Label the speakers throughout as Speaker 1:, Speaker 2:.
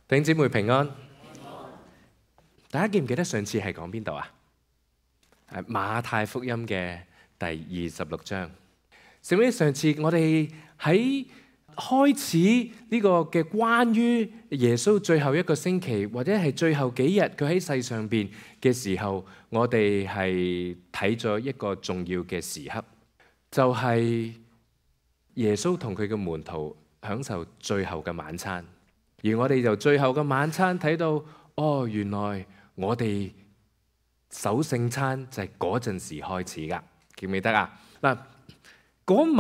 Speaker 1: 弟兄姊妹平安。大家記唔記得上次係講邊度啊？係馬太福音嘅第26章。記唔記得上次我哋喺開始呢個嘅關於耶穌最後一個星期，或者係最後幾日佢喺世上邊嘅時候，我哋係睇咗一個重要嘅時刻，就係耶穌同佢嘅門徒享受最後嘅晚餐。而我哋由最後嘅晚餐睇到，哦，原來我哋守聖餐就係嗰陣時開始噶，記唔記得啊？嗱，嗰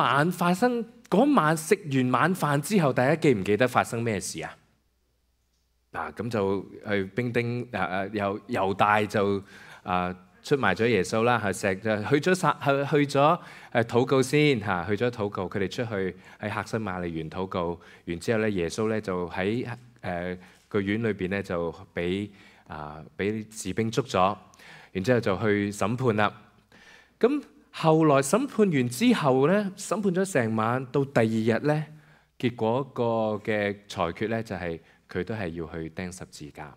Speaker 1: 晚食完晚飯之後，大家記唔記得發生咩事啊？嗱，咁就去兵丁猶大就出賣咗耶穌啦，去咗禱告先嚇，去咗禱告，佢哋出去喺客西馬尼園禱告，然之後咧耶穌咧就喺個院裏邊咧就俾士兵捉咗，然之後就去審判啦。咁後來審判完之後咧，審判咗成晚，到第二日咧，結果個嘅裁決咧就係佢都係要去釘十字架。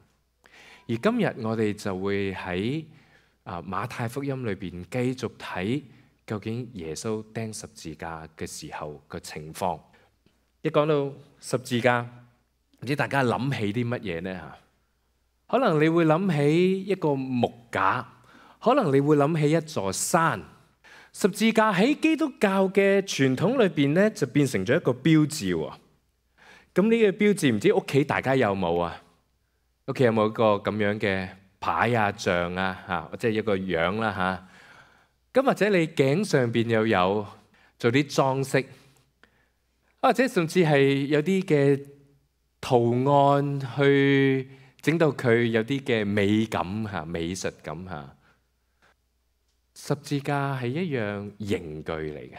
Speaker 1: 而今日我哋就會喺馬太福音裏邊繼續睇究竟耶穌釘十字架嘅時候嘅情況。一講到十字架，唔知大家諗起啲乜嘢呢嚇？可能你會諗起一個木架，可能你會諗起一座山。十字架喺基督教嘅傳統裏邊咧，就變成咗一個標誌喎。咁呢個標誌唔知屋企大家有冇啊？屋企有冇一個咁樣嘅牌啊、像啊嚇，或者一個樣啦嚇？咁或者你頸上邊又有做啲裝飾，或者甚至係有啲嘅圖案去整到佢有啲嘅美感嚇、美術感嚇。十字架係一樣刑具嚟嘅。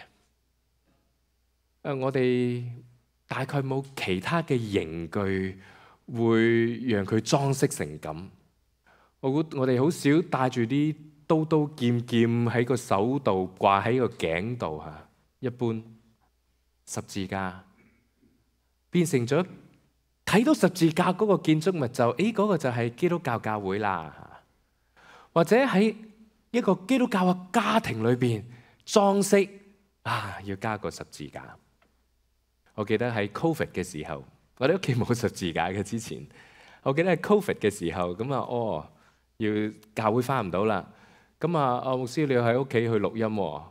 Speaker 1: 我哋大概冇其他嘅刑具會讓佢裝飾成咁。我哋好少帶住啲刀刀劍劍喺個手度掛喺個頸度嚇。一般十字架變成咗睇到十字架嗰個建築物就嗰個就係基督教教會啦，或者喺一個基督教嘅家庭裏邊裝飾要加個十字架。我記得喺 Covid 嘅時候，我哋屋企冇十字架嘅之前，我記得喺 Covid 嘅時候咁要教會翻唔到啦，咁牧師你要喺屋企去錄音喎，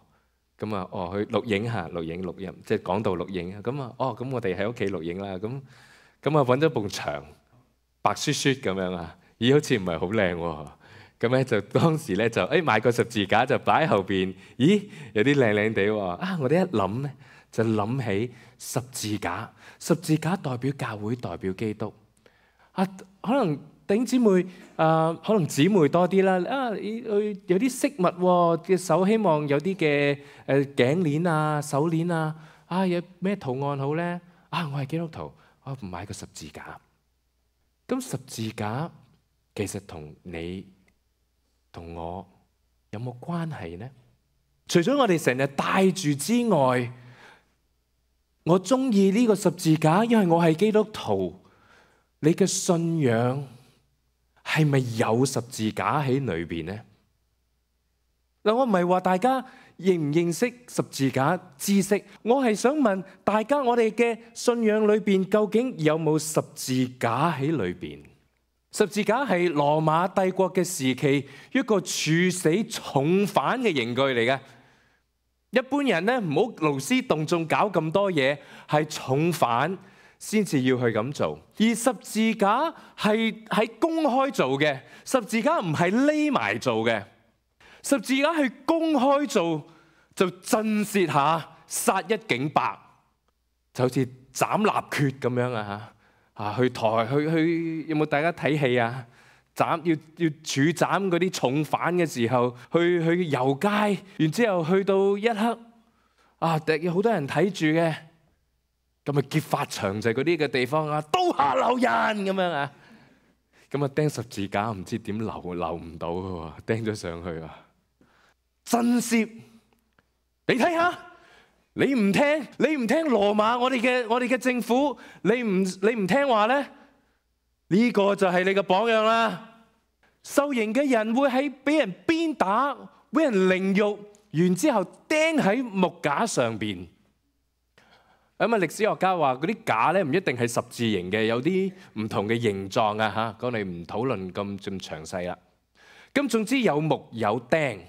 Speaker 1: 咁去錄影嚇，錄音即係講道錄影，咁我哋喺屋企錄影啦，咁揾咗埲牆白雪雪咁樣啊，好似唔係好靚喎。咁咧就當時咧就買個十字架就擺喺後邊，有啲靚靚地喎。我哋一諗咧就諗起十字架，十字架代表教會，代表基督。可能弟兄姊妹可能姊妹多啲啦。有啲飾物嘅手，希望有啲嘅頸鏈啊、手鏈啊。有咩圖案好咧？我係基督徒，我唔買個十字架。咁十字架其實同你同我有冇關係呢？除咗我哋成日帶住之外，我中意呢個十字架，因為我係基督徒。你嘅信仰係咪有十字架喺裏邊呢？嗱，我唔係話大家認唔認識十字架知識，我係想問大家，我哋嘅信仰裏邊究竟有冇十字架喺裏邊？十字架係羅馬帝國嘅時期一個處死重犯嘅刑具嚟嘅。一般人咧唔好勞師動眾搞咁多嘢，係重犯先至要去咁做。而十字架係喺公開做嘅，十字架唔係匿埋做嘅。十字架係公開做，就震懾下殺一儆百，就好似斬立決咁樣啊！去有冇大家睇戲啊？要處斬嗰啲重犯嘅時候，去遊街，然之後去到一刻有好多人睇住嘅，咁劫法場就係嗰啲嘅地方刀下留人咁樣啊！咁釘十字架唔知點留唔到嘅喎，釘咗上去震懾，你睇下。你唔聽羅馬我哋嘅政府，你唔聽話咧，呢個就係你嘅榜樣啦。受刑嘅人會喺俾人鞭打，俾人凌辱，然之後釘喺木架上邊。咁啊，歷史學家話嗰啲架咧唔一定係十字形嘅，有啲唔同嘅形狀啊嚇。我哋唔討論咁詳細啦。咁總之有木有釘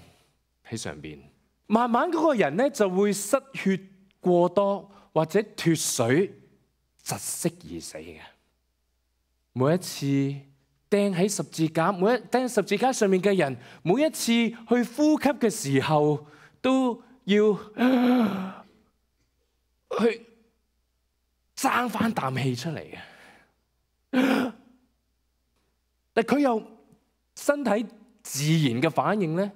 Speaker 1: 喺上邊，慢慢嗰個人咧就會失血過多或者脫水窒息而死嘅。每一次釘喺十字架，釘喺十字架上面嘅人，每一次去呼吸嘅時候都要去爭翻啖氣出嚟嘅。但佢又身體自然嘅反應咧，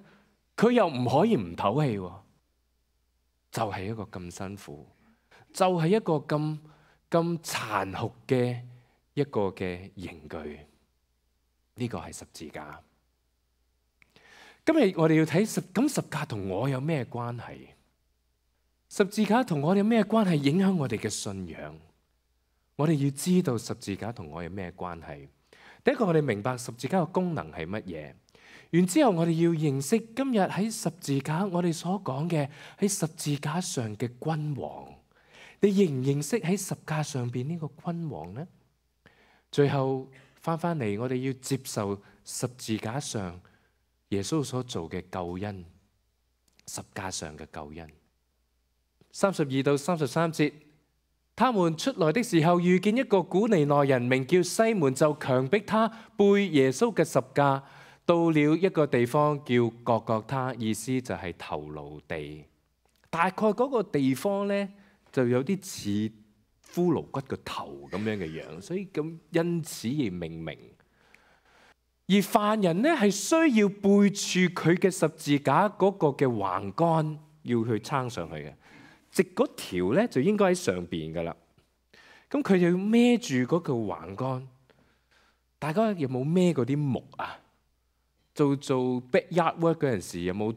Speaker 1: 佢又唔可以唔唞氣喎。就係一個咁辛苦，就係一個咁殘酷嘅一個嘅刑具。呢個係十字架。今日我哋要睇十字架同我有咩關係？十字架同我哋有咩關係？影響我哋嘅信仰。我哋要知道十字架同我有咩關係。第一個，我哋明白十字架嘅功能係乜嘢。然之後，我哋要認識今日喺十字架我哋所講嘅喺十字架上嘅君王。你認唔認識喺十架上邊呢個君王呢？最後翻嚟，我哋要接受十字架上耶穌所做嘅救恩，十架上嘅救恩。32到33節。他們出來的時候，遇見一個古利奈人，名叫西門，就強迫他背耶穌嘅十架，到了一個地方叫各各他，意思就係頭顱地。大概嗰個地方呢，就有啲似骷髏骨個頭咁樣嘅樣，所以咁因此而命名。而犯人呢，係需要背住佢嘅十字架嗰個嘅橫杆，要去撐上去嘅。直嗰條咧就應該喺上邊噶啦，咁佢就要孭住嗰個橫杆。大家有冇孭嗰啲木啊？做 backyard work 嗰陣時，有冇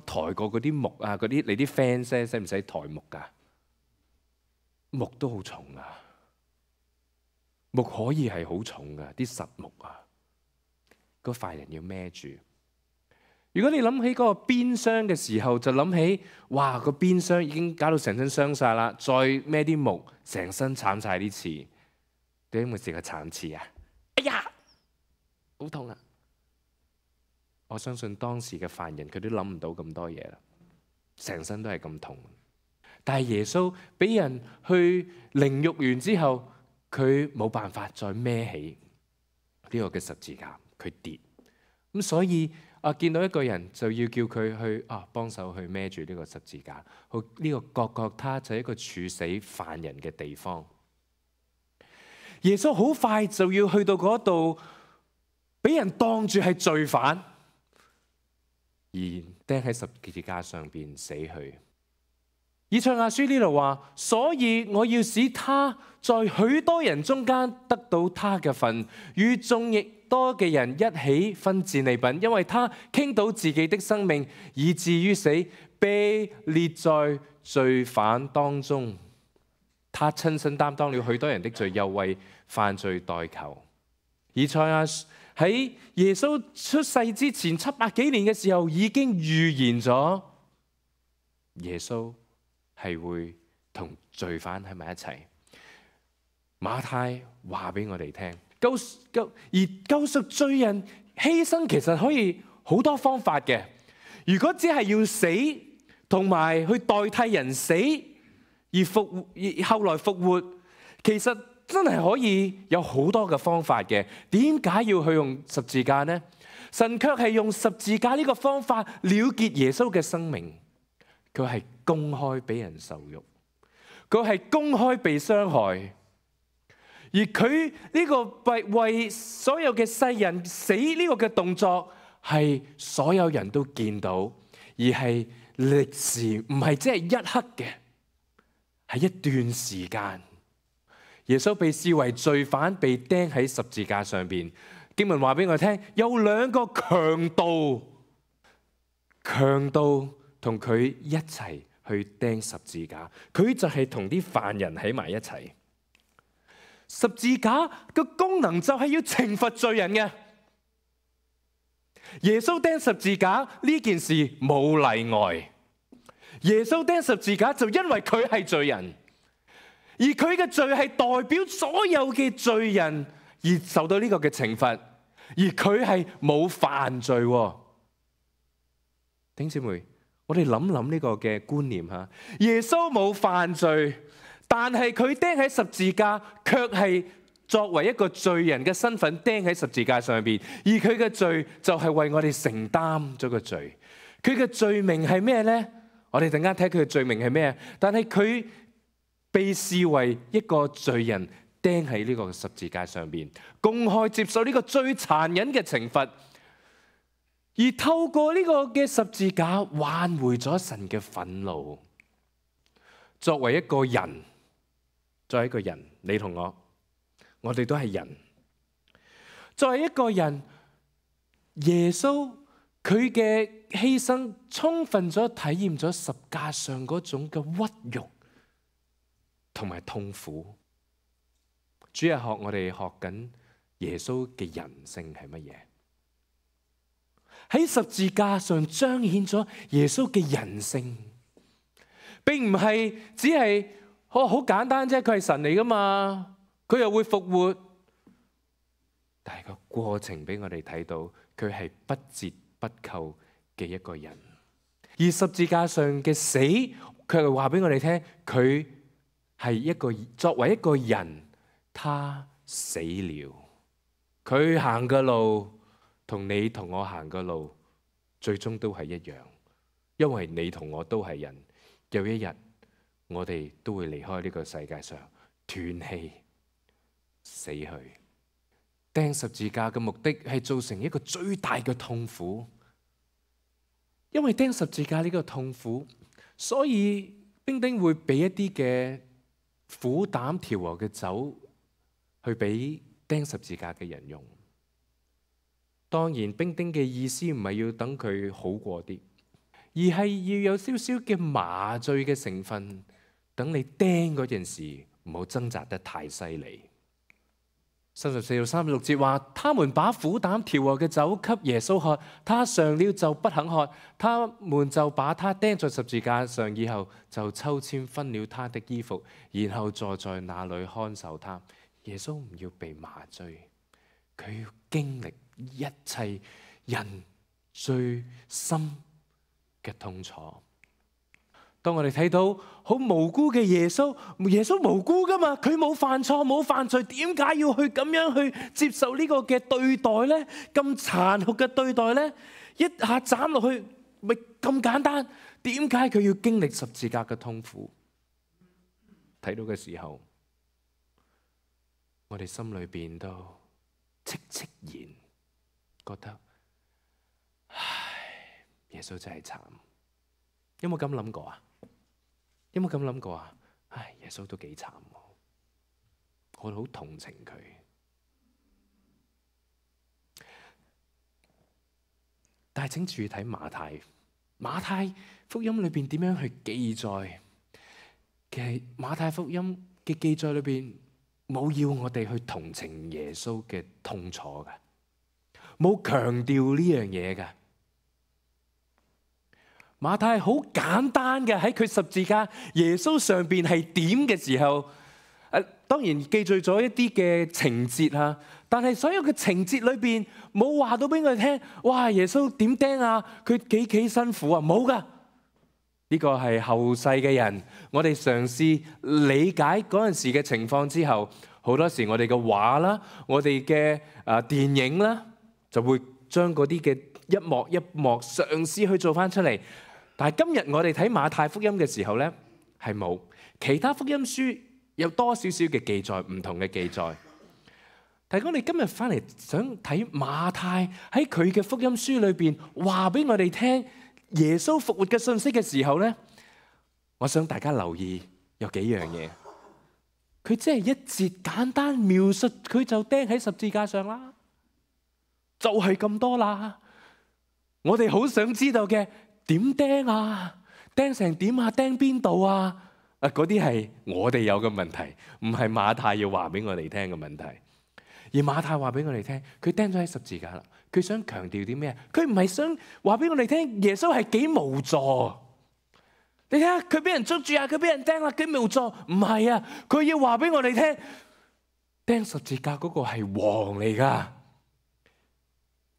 Speaker 1: 抬過嗰啲木啊？嗰啲你啲 fans 使唔使抬木噶？木都好重啊，木可以係好重噶，啲實木啊，嗰塊人要孭住。如果你諗起嗰個鞭傷嘅時候，就諗起哇，個鞭傷已經搞到成身傷晒啦，再孭啲木，成身慘晒啲刺。你有冇試過慘刺啊？哎呀，好痛啊！我相信當時嘅犯人佢都諗唔到咁多嘢啦，成身都係咁痛。但係耶穌俾人去凌辱完之後，佢冇辦法再孭起呢個嘅十字架，佢跌。咁所以見到一個人就要叫佢去幫手去孭住呢個十字架。呢個各各他就係一個處死犯人嘅地方。耶穌好快就要去到嗰度，俾人當住係罪犯，而釘喺十字架上邊死去。以賽亞書呢度話，所以我要使他在許多人中間得到他嘅份，與眾亦多嘅人一起分戰利品，因為他傾倒自己的生命，以至於死，被列在罪犯當中。他親身擔當了許多人的罪，又為犯罪代求。以賽亞喺耶穌出世之前700幾年嘅時候，已經預言咗耶穌係會同罪犯喺埋一齊。馬太話俾我哋聽，救贖罪人犧牲其實可以好多方法嘅。如果只係要死同埋去代替人死而後來復活，其實真係可以有好多嘅方法嘅。點解要去用十字架呢？神卻係用十字架呢個方法了結耶穌嘅生命。佢係公開俾人受辱，佢係公開被傷害，而佢呢個為所有嘅世人死呢個嘅動作，係所有人都見到，而係歷時唔係只係一刻嘅，係一段時間。耶穌被視為罪犯，被釘喺十字架上邊。經文話俾我聽，有2個強盜同佢一齊去釘十字架，佢就係同啲犯人喺埋一齊。十字架嘅功能就係要懲罰罪人嘅。耶穌釘十字架呢件事冇例外。耶穌釘十字架就因為佢係罪人，而佢嘅罪係代表所有嘅罪人而受到呢個嘅懲罰，而佢係冇犯罪。弟兄姊妹，我哋諗諗呢個嘅觀念吓，耶穌冇犯罪，但係佢釘喺十字架，卻係作為一個罪人嘅身份釘喺十字架上邊，而佢嘅罪就係為我哋承擔咗個罪。佢嘅罪名係咩呢？我哋陣間睇佢嘅罪名係咩？但係佢被視為一個罪人釘喺呢個十字架上邊，公開接受呢個最殘忍嘅懲罰，而透過呢個嘅十字架挽回咗神嘅憤怒。作為一個人，你同我哋都係人。作為一個人，耶穌佢嘅犧牲充分咗體驗咗十架上嗰種嘅屈辱同埋痛苦。主日學我哋學緊耶穌嘅人性係乜嘢？喺十字架上彰顯咗耶穌嘅人性，並唔係只係好簡單啫。佢係神嚟噶嘛，佢又會復活。但係個過程俾我哋睇到，佢係不折不扣嘅一個人。而十字架上嘅死，佢係話俾我哋聽，佢係一個作為一個人，他死了。佢行嘅路同你同我行嘅路，最終都係一樣，因為你同我都係人。有一日，我哋都會離開呢個世界上，斷氣死去。釘十字架嘅目的係造成一個最大嘅痛苦，因為釘十字架呢個痛苦，所以兵丁會俾一啲嘅苦膽調和嘅酒去俾釘十字架嘅人用。當然，兵丁嘅意思唔係要等佢好過啲，而係要有少少嘅麻醉嘅成分，等你釘嗰陣時唔好掙扎得太犀利。34到36節話，他們把苦膽調和嘅酒給耶穌喝，他嘗了就不肯喝。他們就把他釘在十字架上，以後就抽籤分了他的衣服，然後坐在那裏看守他。耶穌唔要被麻醉，佢要經歷一切人最深嘅痛楚。當我哋睇到好無辜嘅耶穌，耶穌無辜噶嘛，佢冇犯錯冇犯罪，點解要去咁樣去接受呢個嘅對待呢？咁殘酷嘅對待呢？一下斬落去咪咁簡單？點解佢要經歷十字架嘅痛苦？睇到嘅時候，我哋心裏邊都戚戚然，覺得唉，耶穌真係慘。有冇咁諗過啊？有冇咁諗過啊？唉，耶穌都幾慘，我好同情佢。但係請注意睇馬太福音裏邊點樣去記載。其實馬太福音嘅記載裏邊冇要我哋去同情耶穌嘅痛楚嘅，冇強調呢樣嘢嘅。馬太好簡單嘅，喺佢十字架耶穌上邊係點嘅時候，當然記載咗一啲嘅情節啊，但係所有嘅情節裏邊冇話到俾我哋聽，哇！耶穌點釘啊？佢幾辛苦啊？冇噶，呢個係後世嘅人，我哋嘗試理解嗰陣時嘅情況之後，好多時我哋嘅畫啦，我哋嘅電影啦，就會將嗰啲嘅一幕一幕嘗試去做翻出嚟。但係今日我哋睇馬太福音嘅時候呢，係冇，其他福音書有多少少嘅記載，唔同嘅記載。但係我哋今日翻嚟想睇馬太喺佢嘅福音書裏邊話俾我哋聽耶穌復活嘅信息嘅時候呢，我想大家留意有幾樣嘢。佢只係一節簡單描述，佢就釘喺十字架上啦，就係咁多啦。我哋好想知道嘅，點釘啊？釘成點啊？釘邊度啊？嗰啲係我哋有嘅問題，唔係馬太要話俾我哋聽嘅問題。而馬太話俾我哋聽，佢釘咗喺十字架啦。佢想強調啲咩？佢唔係想話俾我哋聽耶穌係幾無助。你睇下佢俾人捉住啊，佢俾人釘啦，幾無助。唔係啊，佢要話俾我哋聽，釘十字架嗰個係王嚟噶。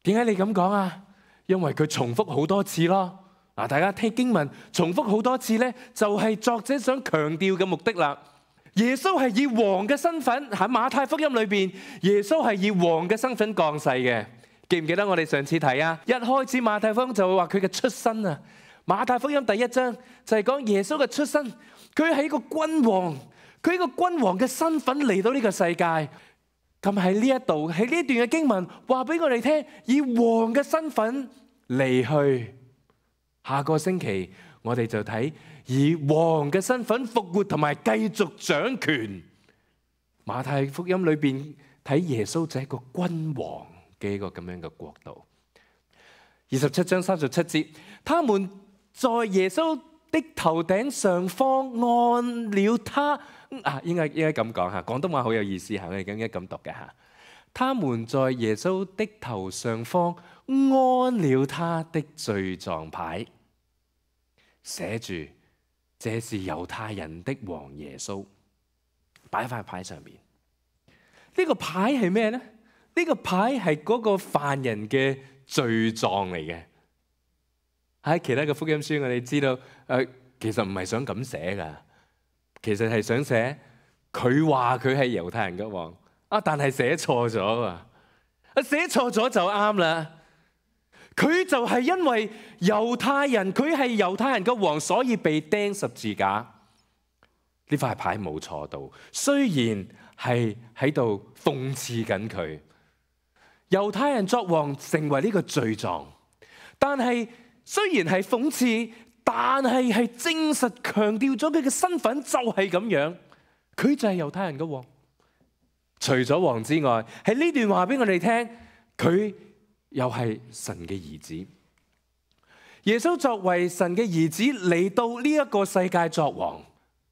Speaker 1: 點解你咁講啊？因為佢重複好多次咯。嗱，大家聽經文重複好多次咧，就係作者想強調嘅目的啦。耶穌係以王嘅身份喺馬太福音裏邊，耶穌係以王嘅身份降世嘅。記唔記得我哋上次睇啊？一開始馬太福音就會話佢嘅出身啊。馬太福音第1章就係講耶穌嘅出身，佢係一個君王，佢係一個君王嘅身份嚟到呢個世界。咁喺呢一度喺呢段嘅經文話俾我哋聽，以王嘅身份離去。下個星期我哋就睇以王嘅身份復活同埋繼續掌權。馬太福音裏邊睇耶穌就係一個君王嘅一個咁樣嘅國度。27章37節，他們在耶穌的頭頂上方按了他應該咁講吓，廣東話好有意思吓，我哋應該咁讀嘅吓。他們在耶穌的頭上方安了他的罪狀牌，寫住這是猶太人的王耶穌，擺喺塊牌上面。呢個牌係咩呢？呢個牌係嗰個犯人嘅罪狀嚟嘅。喺其他嘅福音書我哋知道，其實唔係想咁寫噶，其實係想寫佢話佢係猶太人嘅王。但係寫錯咗啊！寫錯咗就啱啦。佢就係因為猶太人，佢係猶太人嘅王，所以被釘十字架。呢塊牌冇錯到，雖然係喺度諷刺緊佢。猶太人作王成為呢個罪狀，但係雖然係諷刺，但係係證實強調咗佢嘅身份就係咁樣，佢就係猶太人嘅王。除咗王之外，喺呢段話俾我哋聽，佢又係神嘅兒子。耶穌作為神嘅兒子嚟到呢一個世界作王，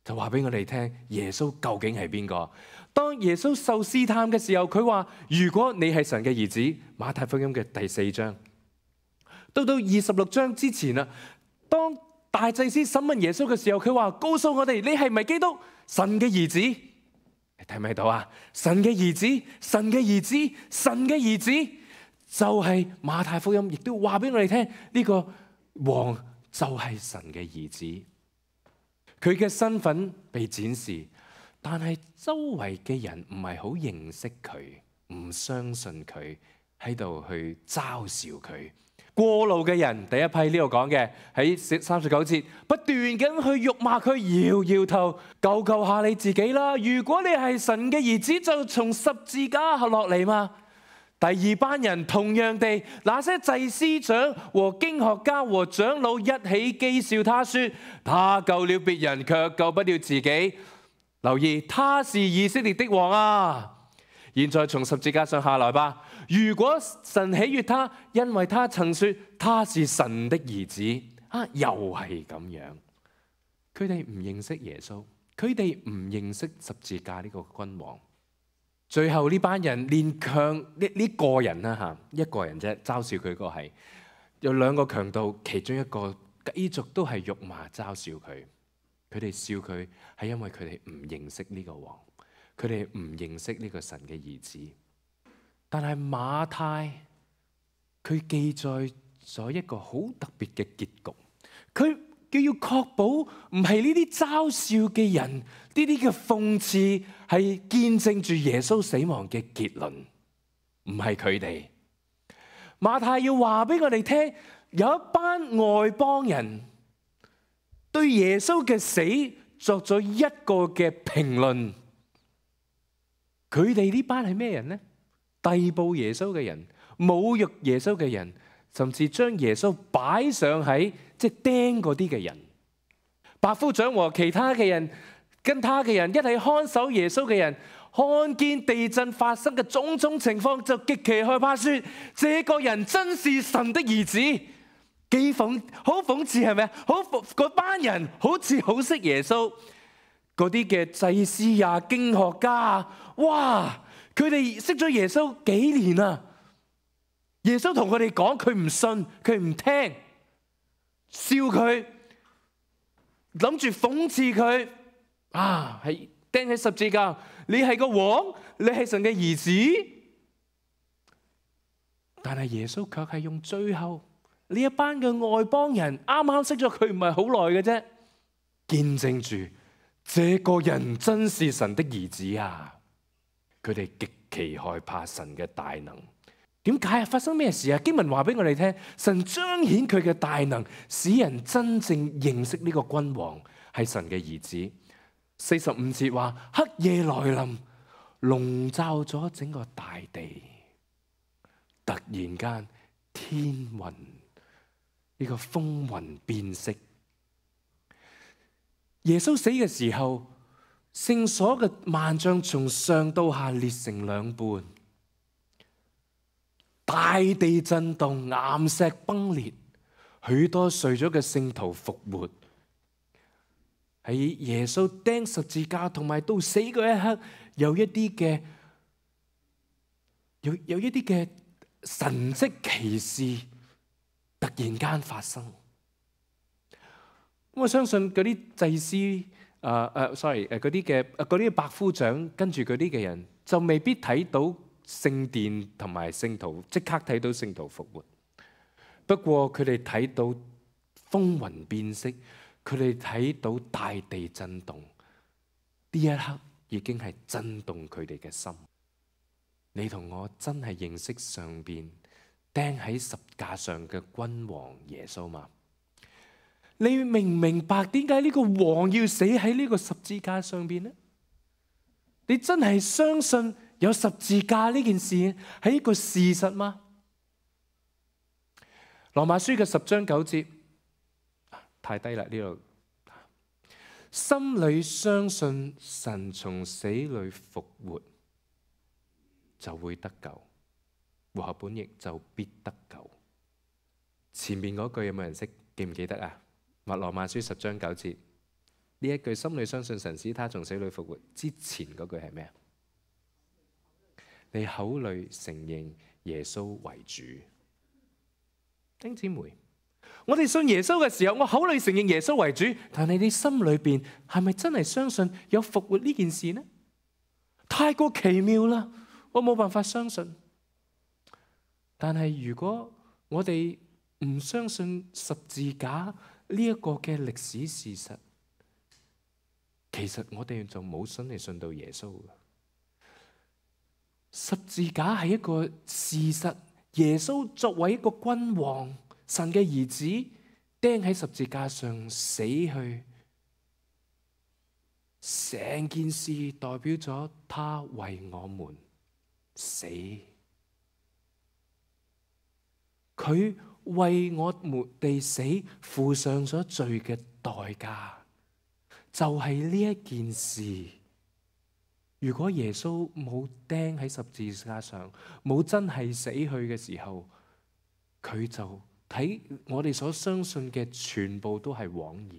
Speaker 1: 就話俾我哋聽耶穌究竟係邊個。當耶穌受試探嘅時候，佢話如果你係神嘅兒子，馬太福音嘅第4章到26章之前啦，當大祭司審問耶穌嘅時候，佢話告訴我哋你係咪基督，神嘅兒子。睇唔睇到啊？神嘅兒子，神嘅兒子，神嘅兒子，就係馬太福音亦都話俾我哋聽，呢個王就係神嘅兒子。佢嘅身份被展示，但係周圍嘅人唔係好認識佢，唔相信佢，喺度去嘲笑佢。過路嘅人，第一批呢度講嘅喺39節，不斷咁去辱罵佢，搖搖頭，救救下你自己啦！如果你係神嘅兒子，就從十字架落嚟嘛。第二班人同樣地，那些祭司長和經學家和長老一起譏笑他說：他救了別人，卻救不了自己。留意，他是以色列的王啊！現在從十字架上下來吧。如果神喜悅他，因為他曾說他是神的兒子，又係咁樣。佢哋唔認識耶穌，佢哋唔認識十字架呢個君王。最後呢班人連強呢個人啦吓，一個人啫，嘲笑佢個係有2個強盜，其中一個繼續都係辱罵嘲笑佢。佢哋笑佢係因為佢哋唔認識呢個王。佢哋唔認識呢個神嘅兒子，但係馬太佢記載咗一個好特別嘅結局，佢要確保唔係呢啲嘲笑嘅人，呢啲嘅諷刺係見證住耶穌死亡嘅結論，唔係佢哋。馬太要話俾我哋聽，有一班外邦人對耶穌嘅死作咗一個嘅評論。佢哋呢班係咩人呢？逮捕耶穌嘅人，侮辱耶穌嘅人，甚至將耶穌擺上喺釘嗰啲嘅人。百夫長和其他嘅人，跟他嘅人一起看守耶穌嘅人，看見地震發生嘅種種情況，就極其害怕，說：這個人真是神的兒子。好諷刺係咪啊？嗰班人好似好識耶穌。嗰啲嘅祭司啊、經學家啊，哇！佢哋識咗耶穌幾年啊，耶穌同佢哋講，佢唔信，佢唔聽，笑佢，諗住諷刺佢啊，係釘喺十字架，你係個王，你係神嘅兒子。但係耶穌卻係用最後呢一班嘅外邦人啱啱識咗佢唔係好耐嘅啫，見證住這個人真是神的兒子啊！佢哋極其害怕神嘅大能。點解啊？發生咩事啊？經文話俾我哋聽，神彰顯佢嘅大能，使人真正認識呢個君王係神嘅兒子。45節話，黑夜來臨，籠罩咗整個大地。突然間，天雲呢個風雲變色。耶穌死嘅時候，聖所嘅幔帳從上到下裂成兩半，大地震動，岩石崩裂，許多睡咗嘅聖徒復活。喺耶穌釘十字架同埋到死嗰一刻，有一啲嘅神蹟奇事突然間發生。我相信嗰啲祭司嗰啲百夫長跟住嗰啲嘅人就未必睇到聖殿同埋聖徒即刻睇到聖徒復活。不過佢哋睇到風雲變色，佢哋睇到大地震動，呢一刻已經係震動佢哋嘅心。你同我真係認識上邊釘喺十架上嘅君王耶穌嗎？你明唔明白點解呢個王要死喺呢個十字架上邊呢？你真係相信有十字架呢件事係一個事實嗎？羅馬書嘅10章9節，太低啦呢度。心裏相信神從死裏復活，就會得救。和合本譯就必得救。前面嗰句有冇人識？記唔記得啊？羅馬書10章9節呢一句，心裏相信神使他從死裏復活之前嗰句係咩啊？你口裏承認耶穌為主。弟兄姊妹，我哋信耶穌嘅時候，我口裏承認耶穌為主，但係你心裏邊係咪真係相信有復活呢件事呢？太過奇妙啦，我冇辦法相信。但係如果我哋唔相信十字架呢一個嘅歷史事實，其實我哋就冇信嚟信到耶穌。十字架係一個事實，耶穌作為一個君王，神嘅兒子，釘喺十字架上死去，成件事代表咗他為我們死，佢為我們哋死，付上咗罪嘅代價，就係呢一件事。如果耶穌冇釘喺十字架上，冇真係死去嘅時候，佢就睇我哋所相信嘅全部都係枉然。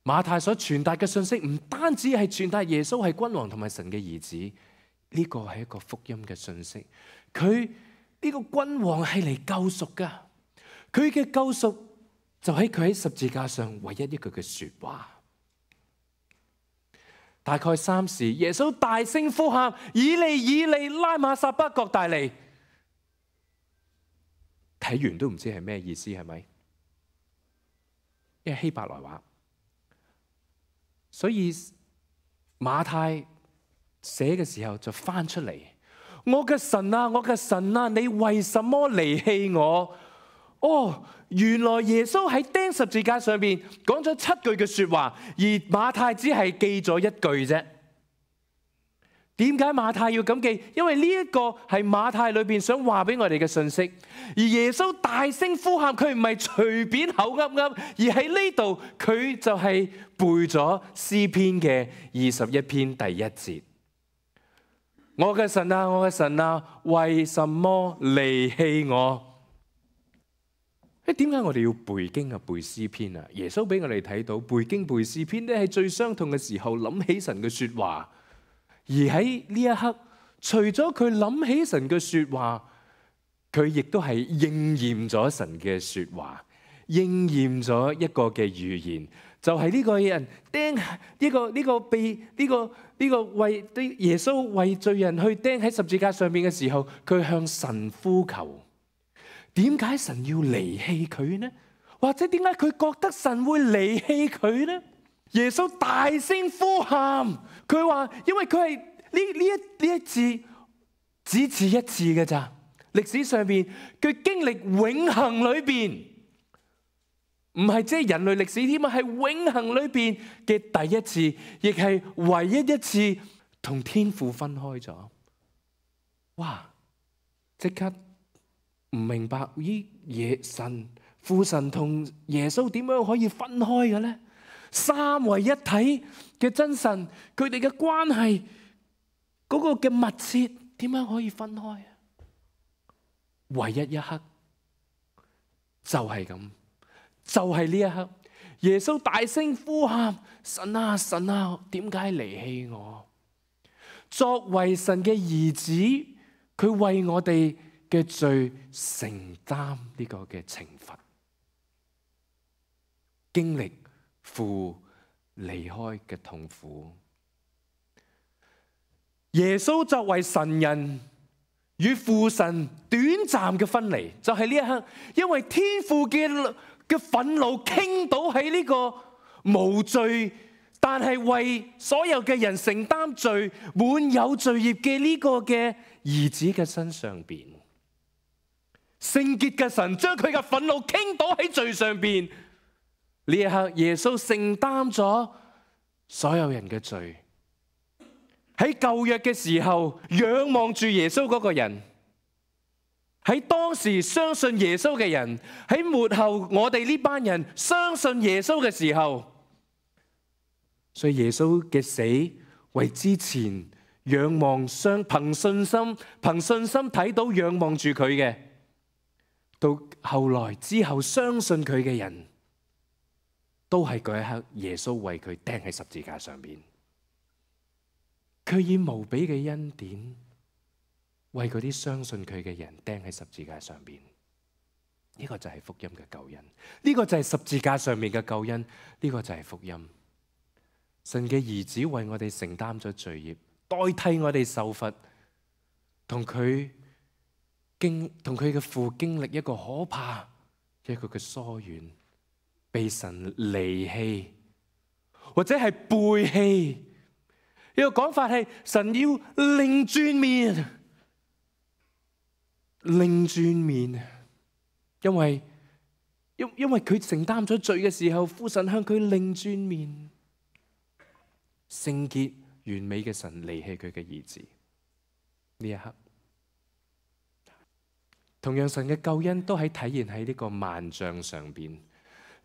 Speaker 1: 馬太所傳達嘅信息唔單止係傳達耶穌係君王同埋神嘅兒子，呢個係一個福音嘅信息。佢呢個君王係嚟救贖噶，佢嘅救贖就喺佢喺十字架上唯一一句嘅說話。大概3時，耶穌大聲呼喊：以利以利，拉馬撒巴各大利。睇完都唔知係咩意思，係咪？因為希伯來話，所以馬太寫嘅時候就翻出嚟：我嘅神啊，我嘅神啊，你為什麼離棄我？哦，原來耶穌喺釘十字架上面講咗7句嘅說話，而馬太只係記咗1句啫。點解馬太要咁記？因為呢一個係馬太裏邊想話俾我哋嘅信息。而耶穌大聲呼喊，佢唔係隨便口噏噏，而喺呢度佢就係背咗詩篇嘅21篇第1節：我嘅神啊，我嘅神啊，為什麼離棄我？點解我哋要背經啊、背詩篇啊？耶穌俾我哋睇到背經背詩篇咧，係最傷痛嘅時候諗起神嘅說話。而喺呢一刻，除咗佢諗起神嘅說話，佢亦都係應驗咗神嘅說話，應驗咗一個嘅預言，就係呢個人釘為耶穌為罪人去釘喺十字架上面嘅時候，佢向神呼求。點解神要離棄佢呢？或者點解佢覺得神會離棄佢呢？耶穌大聲呼喊，佢話因為佢係呢一次只此一次嘅咋，歷史上邊佢經歷永恆裏邊，唔係即係人類歷史添啊，係永恆裏邊嘅第一次，亦係唯一一次同天父分開咗。哇！即刻唔明白神父神同耶穌點樣可以分開嘅咧？三位一體嘅真神，佢哋嘅關係嗰個嘅密切，點樣可以分開啊？唯一一刻就係咁，就係呢一刻，耶穌大聲呼喊：神啊，神啊，點解離棄我？作為神嘅兒子，佢為我哋嘅罪承擔呢個嘅懲罰，經歷父離開嘅痛苦。耶穌作為神人與父神短暫嘅分離，就係呢一刻，因為天父嘅憤怒傾倒喺呢個無罪，但係為所有嘅人承擔罪、滿有罪孽嘅呢個嘅兒子嘅身上邊。聖潔嘅神將佢嘅憤怒傾倒喺罪上邊，呢一刻耶穌承擔咗所有人嘅罪。喺舊約嘅時候，仰望住耶穌嗰個人，喺當時相信耶穌嘅人，喺末後我哋呢班人相信耶穌嘅時候，所以耶穌嘅死為之前仰望憑信心睇到仰望住佢嘅，到後來之後相信佢嘅人，都係嗰一刻耶穌為佢釘喺十字架上邊。佢以無比嘅恩典為嗰啲相信佢嘅人釘喺十字架上邊。呢個就係福音嘅救恩，呢個就係十字架上面嘅救恩，呢個就係福音。神嘅兒子為我哋承擔咗罪孽，代替我哋受罰，同佢嘅父經歷一個可怕嘅一個嘅疏遠，被神離棄或者係背棄。呢個講法係神要擰轉面，因為佢承擔咗罪嘅時候，父神向佢擰轉面。聖潔完美嘅神離棄佢嘅兒子，呢一刻，同樣神嘅救恩都係體現喺呢個幔帳上邊。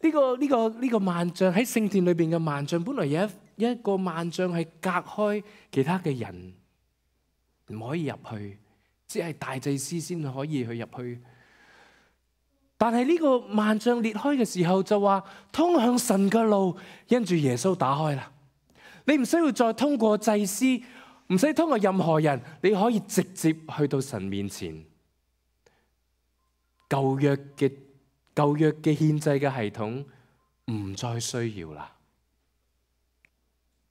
Speaker 1: 呢個幔帳喺聖殿裏邊嘅幔帳，本來有一個幔帳係隔開其他嘅人，唔可以入去，只係大祭司先可以去入去。但係呢個幔帳裂開嘅時候，就話通向神嘅路因住耶穌打開啦。你唔需要再通過祭司，唔使通過任何人，你可以直接去到神面前。舊約嘅獻祭嘅系統唔再需要啦。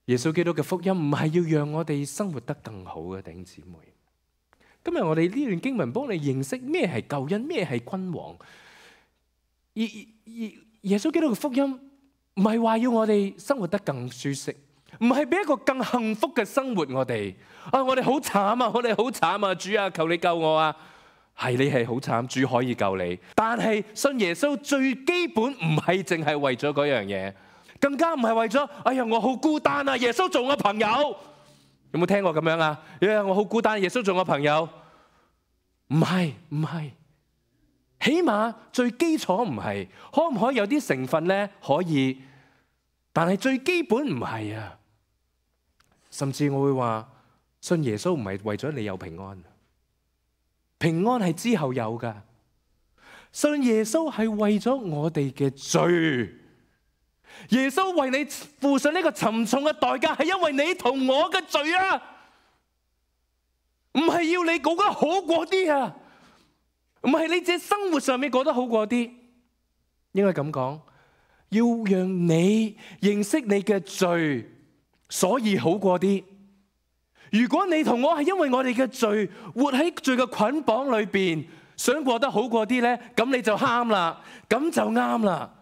Speaker 1: 耶穌基督嘅福音唔係要讓我哋生活得更好嘅，弟兄姊妹。今日我哋呢段經文幫你認識咩係救恩，咩係君王。而耶穌基督嘅福音唔係話要我哋生活得更舒適，唔係俾一個更幸福嘅生活我哋。我哋好慘啊！我哋好慘啊！主啊，求你救我啊！係，你係好慘，主可以救你。但係信耶穌最基本唔係淨係為咗嗰樣嘢，更加唔係為咗哎呀我好孤單啊！耶穌做我朋友，有冇聽過咁樣啊？我好孤單，耶穌做我朋友，唔係，起碼最基礎唔係，可唔可以有啲成分呢？可以，但係最基本唔係啊。甚至我會話信耶穌唔係為咗你有平安。平安係之後有噶，信耶穌係為咗我哋嘅罪。耶穌為你付上呢個沉重嘅代價，係因為你同我嘅罪啊，唔係要你過得好過啲啊，唔係你自己生活上面過得好過啲，應該咁講，要讓你認識你嘅罪，所以好過啲。如果你同我係因為我哋嘅罪，活喺罪嘅捆綁裏邊，想過得好過啲咧，咁你就啱啦，咁就啱啦。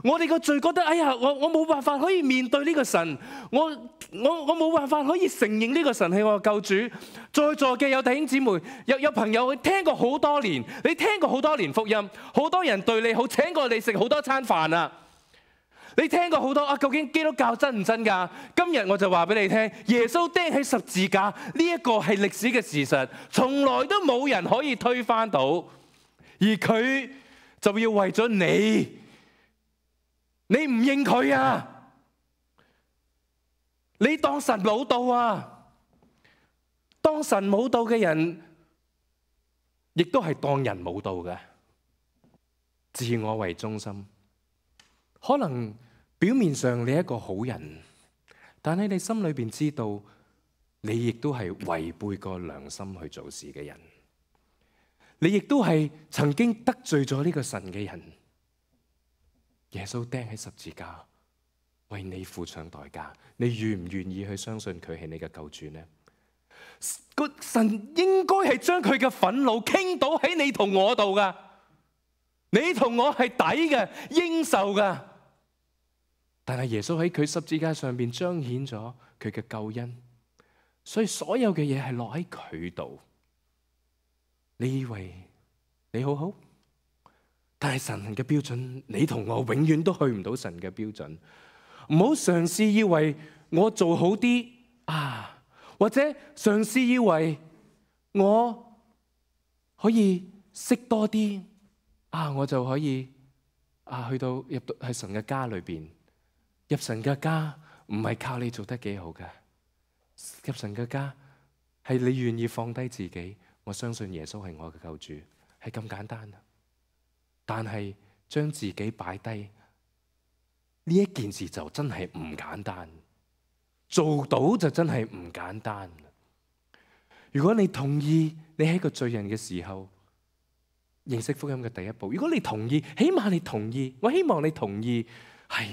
Speaker 1: 我哋個罪覺得，哎呀，我冇辦法可以面對呢個神，我冇辦法可以承認呢個神係我嘅救主。在座嘅有弟兄姊妹，有朋友聽過好多年，你聽過好多年福音，好多人對你好，請過你食好多餐飯啊。你聽過好多啊？究竟基督教真唔真㗎？今日我就話俾你聽，耶穌釘喺十字架呢一個係歷史嘅事實，從來都冇人可以推翻到，而佢就要為咗你唔認佢啊？你當神冇道啊？當神冇道嘅人，亦都係當人冇道嘅，自我為中心。可能表面上你係一個好人，但係你心裏邊知道，你亦都係違背過良心去做事嘅人。你亦都係曾經得罪咗呢個神嘅人。耶穌釘喺十字架，為你付上代價，你願唔願意去相信佢係你嘅救主呢？個神應該係將佢嘅憤怒傾倒喺你同我度噶，你同我係抵嘅，應受噶。但係耶穌喺佢十字架上邊彰顯咗佢嘅救恩，所以所有嘅嘢係落喺佢度。你以為你好好？但係神嘅標準，你同我永遠都去唔到神嘅標準。唔好嘗試以為我做好啲啊，或者嘗試以為我可以識多啲啊，我就可以啊入到喺神嘅家裏邊。入神嘅家唔係靠你做得幾好㗎，入神嘅家係你願意放低自己。我相信耶穌係我嘅救主，係咁簡單。但係將自己擺低呢一件事就真係唔簡單，做到就真係唔簡單。如果你同意你係一個罪人嘅時候，認識福音嘅第一步，如果你同意，起碼你同意，我希望你同意，係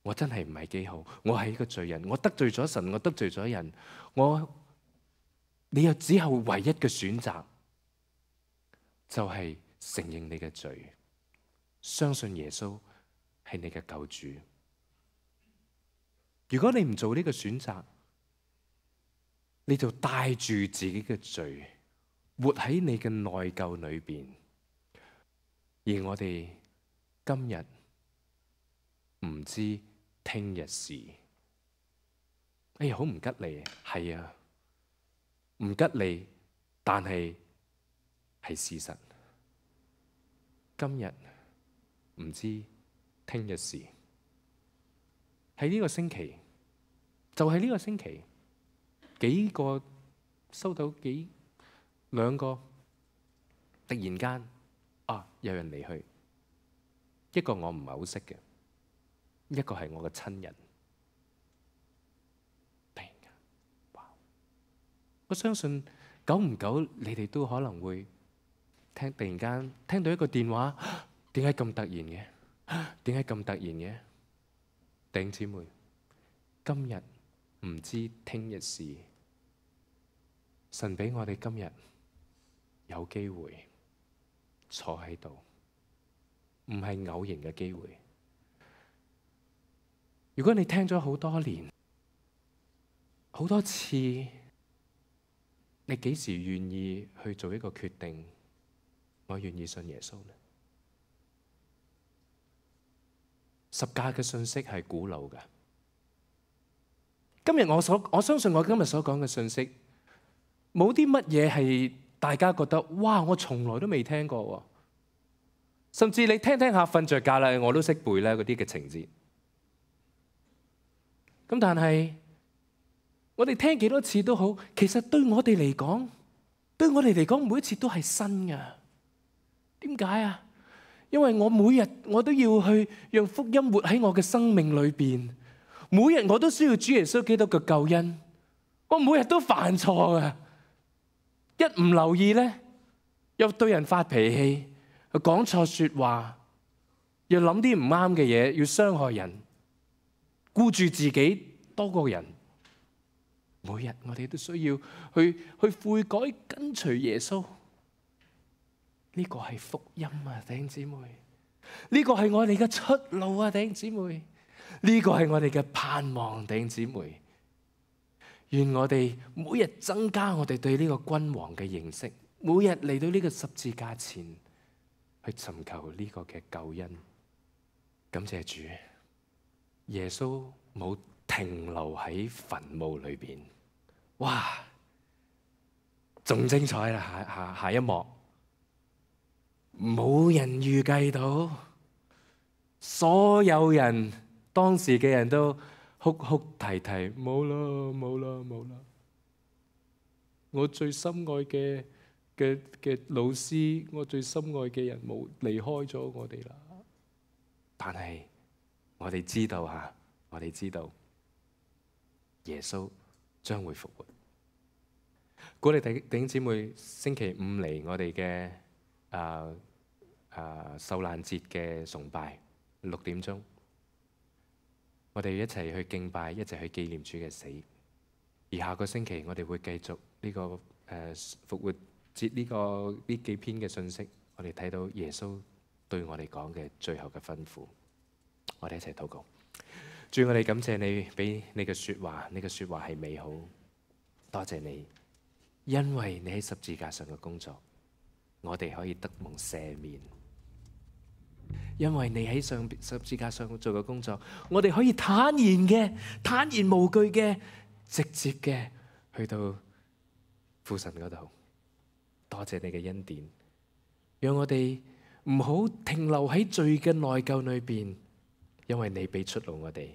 Speaker 1: 我真係唔係幾好，我係一個罪人，我得罪咗神，我得罪咗人，你又只有唯一嘅選擇，就係承認你嘅罪，相信耶穌係你嘅救主。如果你唔做呢個選擇，你就帶住自己嘅罪，活喺你嘅內疚裏邊。而我哋今日唔知聽日事，哎呀，好唔吉利，係啊，唔吉利，但係事實。今日唔知聽日事，喺呢個星期，就係呢個星期，幾個收到兩個，突然間有人離去，一個我唔係好識嘅，一個係我嘅親人。突然間，哇！我相信久唔久你哋都可能會突然間聽到一個電話，點解咁突然嘅？點解咁突然嘅？弟兄姊妹，今日唔知聽日事，神俾我哋今日有機會坐喺度，唔係偶然嘅機會。如果你聽咗好多年，好多次，你幾時願意去做一個決定？我願意信耶穌呢？十架嘅信息係古老嘅。今日我相信我今日所講嘅信息，冇啲乜嘢係大家覺得哇，我從來都未聽過喎。甚至你聽下瞓着覺啦，我都識背啦嗰啲嘅情節。咁但係我哋聽幾多次都好，其實對我哋嚟講，每一次都係新嘅。點解啊？因為我每日我都要去讓福音活喺我嘅生命裏邊，每日我都需要主耶穌基督嘅救恩。我每日都犯錯嘅，一唔留意咧，又對人發脾氣，又講錯説話，又諗啲唔啱嘅嘢，要傷害人，顧住自己多過人。每日我哋都需要去悔改，跟隨耶穌。呢個係福音啊，弟兄姊妹！呢個係我哋嘅出路啊，弟兄姊妹！呢個係我哋嘅盼望，弟兄姊妹！願我哋每日增加我哋對呢個君王嘅認識，每日嚟到呢個十字架前去尋求呢個嘅救恩。感謝主，耶穌冇停留喺墳墓裏邊。哇，仲精彩啦！下一幕，冇人預計到，所有人當時嘅人都哭哭啼啼，冇啦冇啦冇啦！我最心愛嘅老師，我最心愛嘅人冇離開咗我哋啦。但係我哋知道嚇，我哋知道耶穌將會復活。鼓勵弟兄姊妹，星期五嚟我哋嘅受難節嘅崇拜，6點鐘，我哋一齊去敬拜，一齊去紀念主嘅死。而下個星期我哋會繼續呢個復活節呢幾篇嘅信息，我哋睇到耶穌對我哋講嘅最後嘅吩咐。我哋一齊禱告。主，我哋感謝你俾你嘅說話，你嘅說話係美好。多謝你，因為你喺十字架上嘅工作，我哋可以得蒙赦免。因為你喺十字架上做嘅工作，我哋可以坦然無懼嘅，直接嘅去到父神嗰度。多謝你嘅恩典，讓我哋唔好停留喺罪嘅內疚裏邊，因為你俾出路我哋，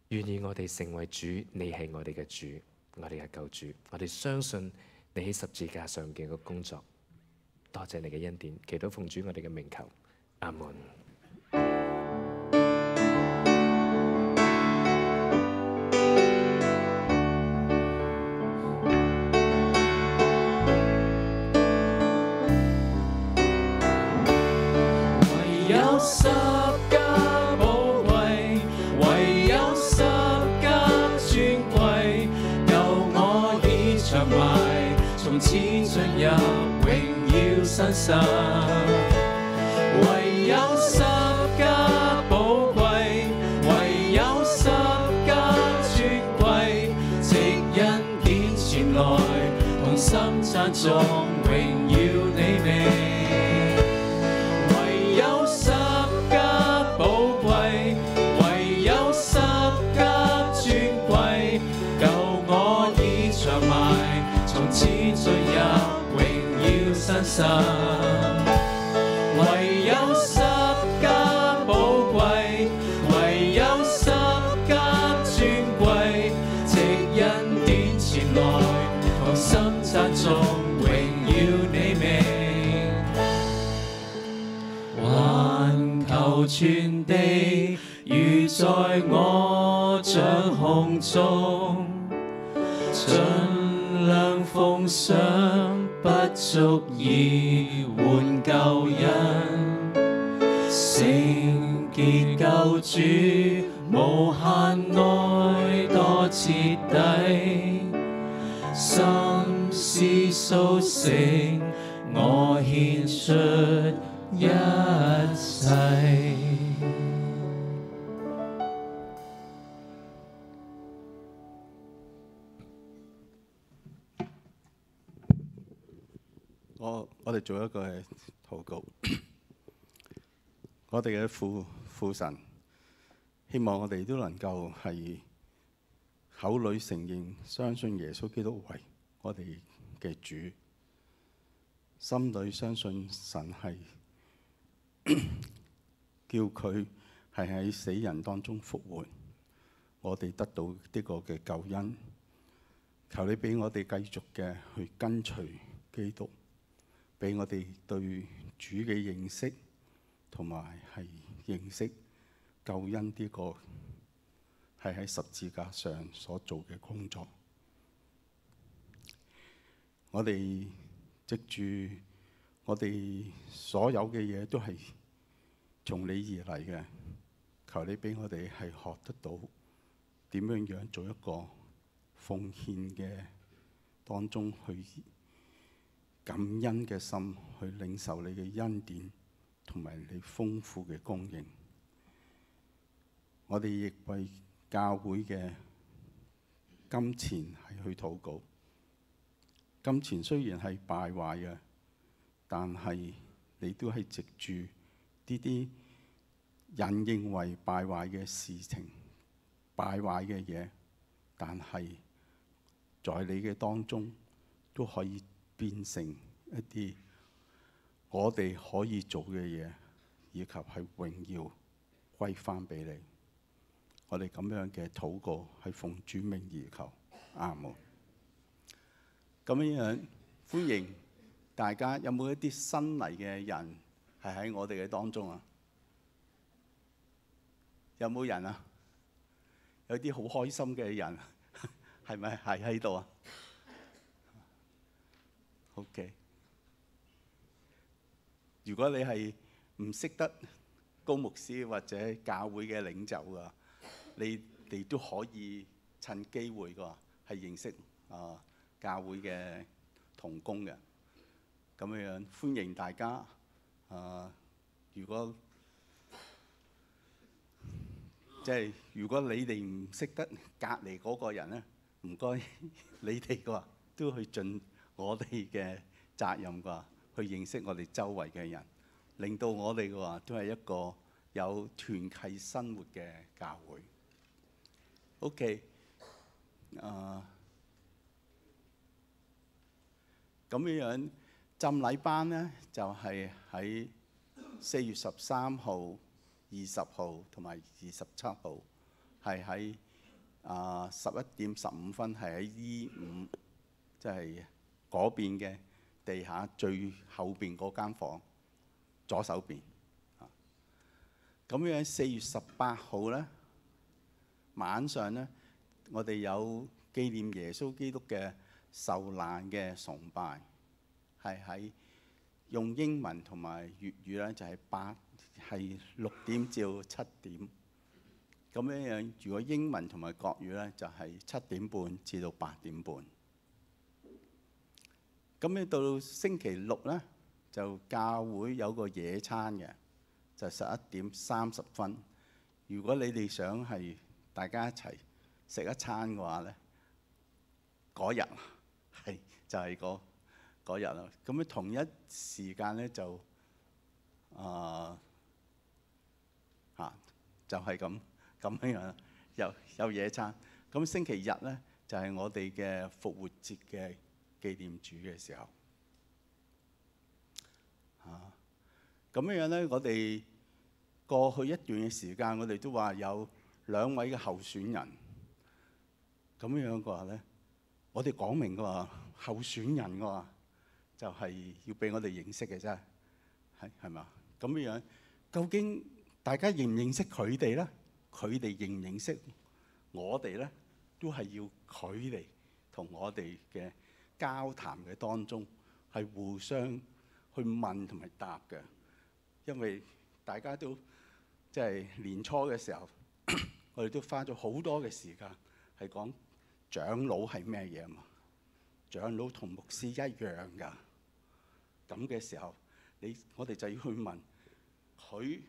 Speaker 1: 願意我哋成為主，你係我哋嘅主，我哋嘅救主，我哋相信你喺十字架上嘅個工作。多謝你嘅恩典，祈禱奉主我哋嘅名求，阿門。
Speaker 2: 十架寶貴，唯有十架尊貴，救我已長埋，從此進入榮耀新生。唯有十架寶貴，唯有十架尊貴，藉恩典前來，同心讚頌榮耀你名。唯有十架寶貴，唯有十架尊貴，藉恩典前來，同心讚頌榮耀你名。環球全地如在我掌控中，盡量奉上，不足以換救恩，聖潔救主，無限愛多徹底，心思甦醒，我獻出一切。
Speaker 3: 我哋做一個禱告，我哋嘅父神，希望我哋都能夠係口裏承認相信耶穌基督為我哋嘅主，心裏相信神係叫佢係喺死人當中復活，我哋得到呢個嘅救恩。求你俾我哋繼續嘅去跟隨基督。俾我哋對主嘅認識，同埋係認識救恩呢個係喺十字架上所做嘅工作。我哋藉住我哋所有嘅嘢都係從你而嚟嘅，求你俾我哋係學得到點樣做一個奉獻嘅當中去感恩嘅心，去領受你嘅恩典同埋你豐富嘅供應。我哋亦為教會嘅金錢係去禱告。金錢雖然係敗壞嘅，但係你都係藉住呢啲人認為敗壞嘅事情、敗壞嘅嘢，但係在你嘅當中都可以變成一啲我哋可以做嘅嘢，以及係榮耀歸翻俾你。我哋咁樣嘅禱告係奉主名而求，阿門。咁樣歡迎大家，有冇一啲新嚟嘅人係喺我哋嘅當中啊？有冇人啊？有啲好開心嘅人，係咪係喺度啊 ？OK。如果你係唔識得高牧師或者教會嘅領袖啊，你哋都可以趁機會㗎，係認識教會嘅同工嘅。咁樣歡迎大家。如果如果你哋唔識得隔離嗰個人咧，唔該你哋嘅話都去盡我哋嘅責任㗎，去認識我哋周圍嘅人，令到我哋嘅話都係一個有團契生活嘅教會。OK， 咁樣浸禮班咧就係喺4月13號、20號同埋27號，係喺11點15分，係喺E5，即係嗰邊嘅地下最後邊嗰間房左手邊。咁樣4月18號咧晚上咧，我哋有紀念耶穌基督嘅受難嘅崇拜，係喺用英文同埋粵語咧，就係6點至7點。咁樣如果英文同埋國語咧，就係7點半至到8點半。咁樣到星期六咧，就教會有個野餐嘅，就11點30分。如果你哋想係大家一齊食一餐嘅話咧，嗰日係就係嗰日啦。咁樣同一時間咧就就係咁樣有野餐。咁星期日咧就係我哋嘅復活節嘅紀念主嘅時候。咁樣咧，我哋過去一段嘅時間，我哋都話有2位嘅候選人。咁樣嘅話咧，我哋講明嘅話，候選人嘅話就係要俾我哋認識嘅啫，係嘛？咁樣究竟大家認唔認識佢哋咧？佢哋認唔認識我哋咧？都係要佢哋同我哋嘅交談嘅當中係互相去問同埋答嘅，因為大家都即係年初嘅時候，我哋都花咗好多嘅時間係講長老係咩嘢啊嘛。長老同牧師一樣㗎。咁嘅時候，我哋就要去問佢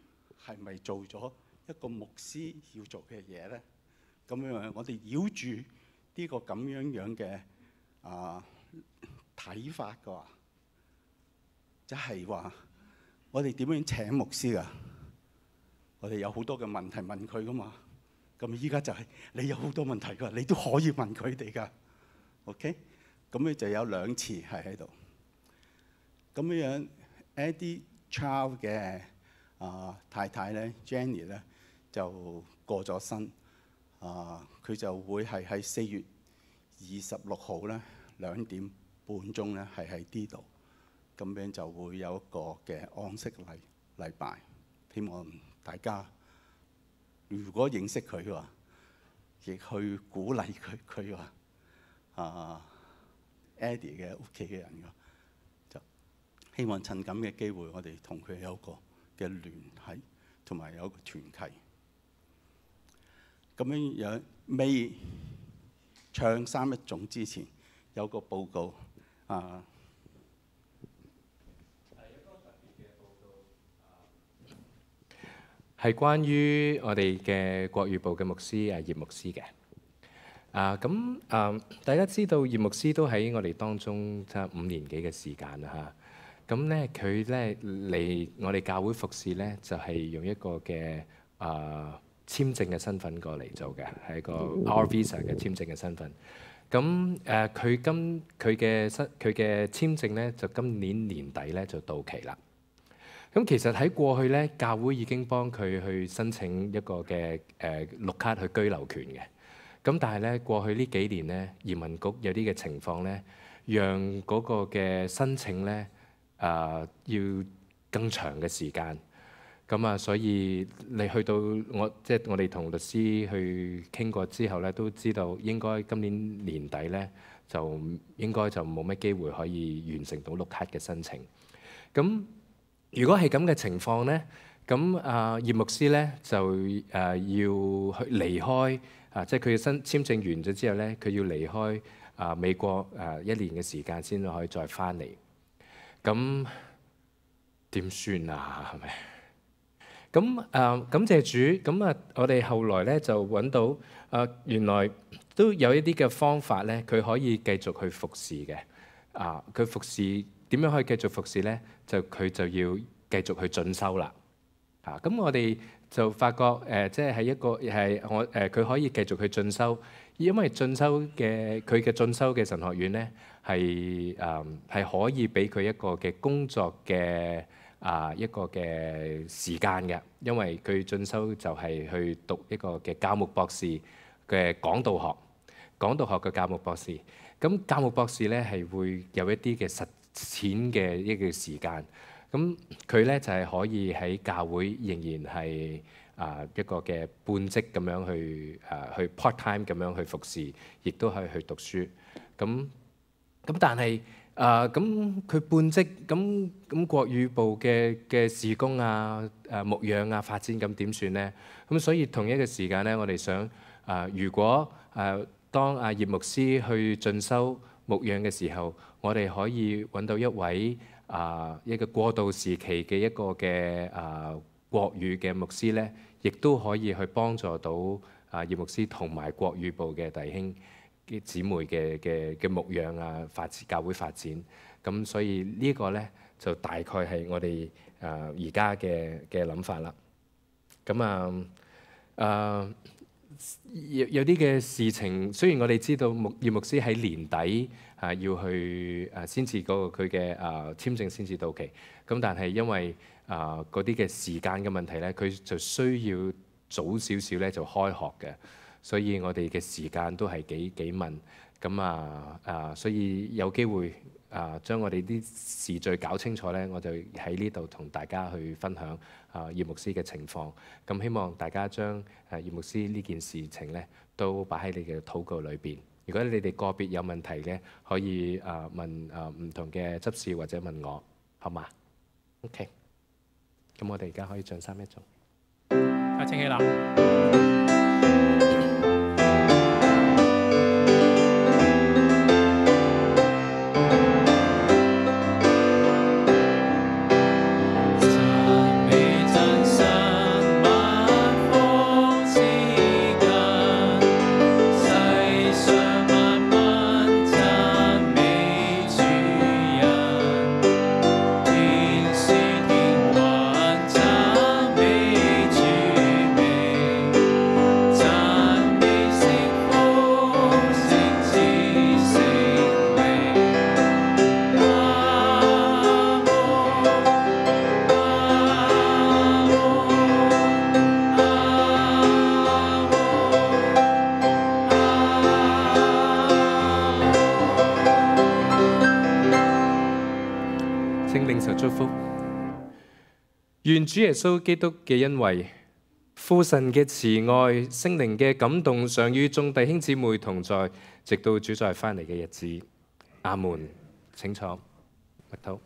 Speaker 3: 係咪做咗一個牧師要做嘅嘢咧？咁樣我哋繞住呢個咁樣嘅睇法嘅話，即係話我哋點樣請牧師㗎？我哋有好多嘅問題問佢㗎嘛。咁依家就係你有好多問題㗎，你都可以問佢哋㗎。OK， 咁咧就有2次係喺度。咁樣 Eddie Chow 嘅太太咧 Jenny 咧就過咗身。佢就會係喺4月26號咧2點半鐘咧係喺呢度。咁樣就會有一個嘅安息禮拜。希望大家如果認識佢嘅話，亦去鼓勵佢話Eddie 嘅屋企嘅人嘅，就希望趁咁嘅機會，我哋同佢有一個嘅聯繫，同埋有一個團契。咁樣未唱三一種之前，有個報告
Speaker 1: 係關於我哋嘅國語部嘅牧師葉牧師嘅。大家知道葉牧師都喺我哋當中差5年幾嘅時間啦嚇。咁咧佢咧嚟我哋教會服侍咧，就係用一個嘅簽證嘅身份過嚟做嘅，係一個 R Visa 嘅簽證嘅身份。咁佢嘅簽證咧就今年年底咧就到期啦。咁其實喺過去咧，教會已經幫佢去申請一個嘅綠卡去居留權嘅。咁但係咧，過去呢幾年咧，移民局有啲嘅情況咧，讓嗰個嘅申請咧要更長嘅時間。咁所以你去到我哋同律師去傾過之後咧，都知道應該今年年底咧就應該就冇乜機會可以完成到綠卡嘅申請。咁如果係咁嘅情況咧，咁葉牧師咧就要去離開即係佢嘅簽證完咗之後咧，佢要離開美國1年嘅時間先可以再翻嚟。咁點算啊？係咪？咁感謝主，咁我哋後來咧就揾到原來都有一啲嘅方法咧，佢可以繼續去服侍嘅。佢服侍點樣可以繼續服侍咧？佢就要繼續去進修啦。咁我哋就發覺即係一個係佢可以繼續去進修，因為佢嘅進修嘅神學院咧係可以俾佢一個嘅工作嘅一個嘅時間嘅，因為佢進修就係去讀一個嘅教牧博士嘅講道學嘅教牧博士。咁教牧博士咧係會有一啲嘅實踐嘅一個時間。咁佢咧就係可以喺教會仍然係一個嘅半職咁樣去 part time 咁樣去服侍，亦都可以去讀書。咁但係咁佢半職咁國語部嘅事工牧養發展咁點算咧？咁所以同一個時間咧，我哋想如果當葉牧師去進修牧養嘅時候，我哋可以揾到一位一個過渡時期嘅一個嘅國語嘅牧師咧，亦都可以去幫助到葉牧師同埋國語部嘅弟兄姊妹嘅牧養發展教會發展。咁所以呢個咧就大概係我哋而家嘅諗法啦。咁有啲嘅事情，雖然我哋知道葉牧師喺年底要去先至嗰個佢嘅簽證先至到期，咁但係因為嗰啲嘅時間嘅問題咧，佢就需要早少少咧就開學嘅，所以我哋嘅時間都係幾問。咁所以有機會將我哋啲時序搞清楚咧，我就喺呢度同大家去分享葉牧師嘅情況。咁希望大家將葉牧師呢件事情咧都擺喺你嘅禱告裏邊。如果你哋個別有問題嘅，可以問唔同嘅執事或者問我，好嘛 ？OK。咁我哋而家可以唱三一頌。
Speaker 2: 大家請起立。
Speaker 4: 讚
Speaker 1: 上祝福。願主耶穌基督嘅恩惠、父神嘅慈愛、聖靈嘅感動，常與眾弟兄姊妹同在，直到主再翻嚟嘅日子。阿門。請坐，麥禱。